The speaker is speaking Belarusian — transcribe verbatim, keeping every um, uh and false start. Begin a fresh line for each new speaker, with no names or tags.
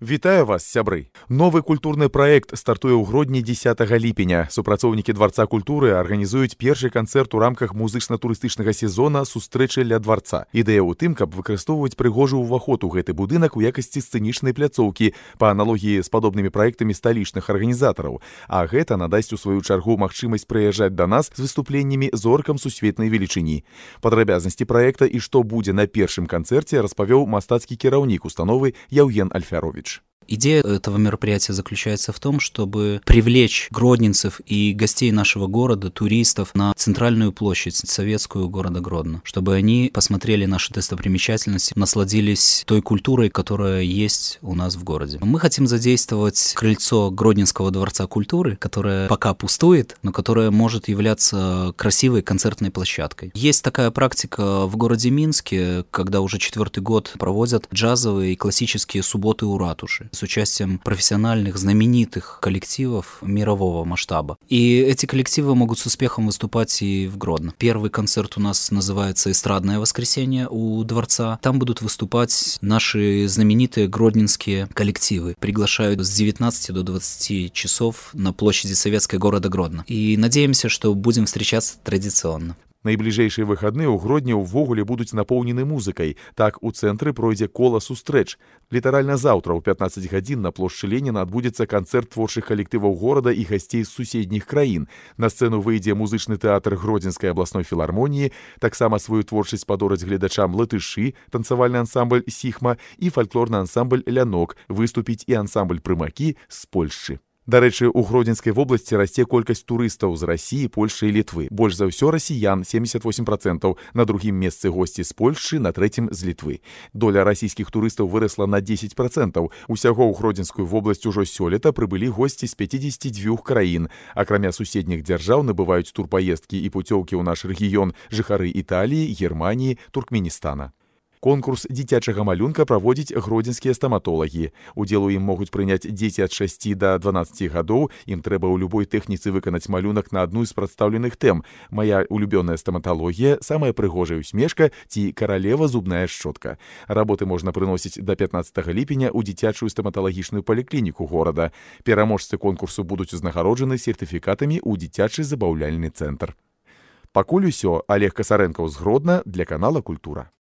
Вітаю вас, сябры! Новы культурны праект стартуе ў грудні дзесятага ліпеня. Супрацоўнікі Дварца культуры арганізуюць першы канцэрт у рамках музычна-турыстычнага сезона «Сустрэчы ля дварца». Ідэя ў тым, каб выкарыстоўваць прыгожы ўваход у гэты будынак у якасці сцэнічнай пляцоўкі па аналогіі з падобнымі праектамі сталічных арганізатараў. А гэта надасць у сваю чаргу магчымасць прыязджаць да нас з выступленнямі зоркам сусветнай велічыні. Падрабязнасці праекта і што будзе на першым канцэрце распавёў мастацкі кіраўнік установы Яўген Альфярович.
Идея этого мероприятия заключается в том, чтобы привлечь гродненцев и гостей нашего города, туристов, на центральную площадь советскую города Гродно, чтобы они посмотрели наши достопримечательности, насладились той культурой, которая есть у нас в городе. Мы хотим задействовать крыльцо Гродненского дворца культуры, которое пока пустует, но которое может являться красивой концертной площадкой. Есть такая практика в городе Минске, когда уже четвертый год проводят джазовые и классические субботы у ратуши с участием профессиональных, знаменитых коллективов мирового масштаба. И эти коллективы могут с успехом выступать и в Гродно. Первый концерт у нас называется «Эстрадное воскресенье» у Дворца. Там будут выступать наши знаменитые гродненские коллективы. Приглашают с девятнадцати до двадцати часов на площади Советской города Гродно. И надеемся, что будем встречаться традиционно.
Найбліжэйшыя выхадныя ў Гродні ўвогуле будуць напоўнены музыкай. Так, у цэнтры пройдзе кола сустрэч. Літаральна заўтра ў пятнаццаць гадзін на плошчы Леніна адбудзецца канцэрт творчых калектываў горада і гасцей з суседніх краін. На сцэну выйдзе музычны тэатр Гродзенскай абласной філармоніі, таксама сваю творчасць падораць гледачам латышы, танцавальны ансамбль «Сіхма» і фальклорны ансамбль «Лянок», выступіць і ансамбль «Прымакі» з Польшчы. Дарэчы, у Гродзенскай вобласці расце колькасць турыстаў з Расіі, Польшчы і Літвы. Больш за ўсё расіян, семьдесят восемь процентов, на другім месцы госці з Польшчы, на трэцім з Літвы. Доля расійскіх турыстаў вырасла на десять процентов. Усяго ў Гродзенскую вобласць ужо сёлета прыбылі госці з пятидесяти двух краін. Акрамя суседніх дзяржаў набываюць турпаездкі і пуцёўкі ў наш рэгіён жыхары Італіі, Германіі, Туркменістана. Конкурс дзіцячага малюнка праводзяць гродзенскія стаматолагі. Удзел у ім могуць прыняць дзеці ад шасці да дванаццаці гадоў. Ім трэба ў любой тэхніцы выканаць малюнак на адну з прадстаўленых тэм. Мая улюбёная стаматалогія, самая прыгожая усмешка ці каралева зубная шчотка. Работы можна прыносіць да пятнаццатага ліпеня ў дзіцячую стаматалагічную паліклініку горада. Пераможцы конкурсу будуць узнагароджаны сертыфікатамі ў дзіцячы забаўляльны цэнтр. Пакуль усё. Олег Касарэнкаў з Гродна для канала «Культура».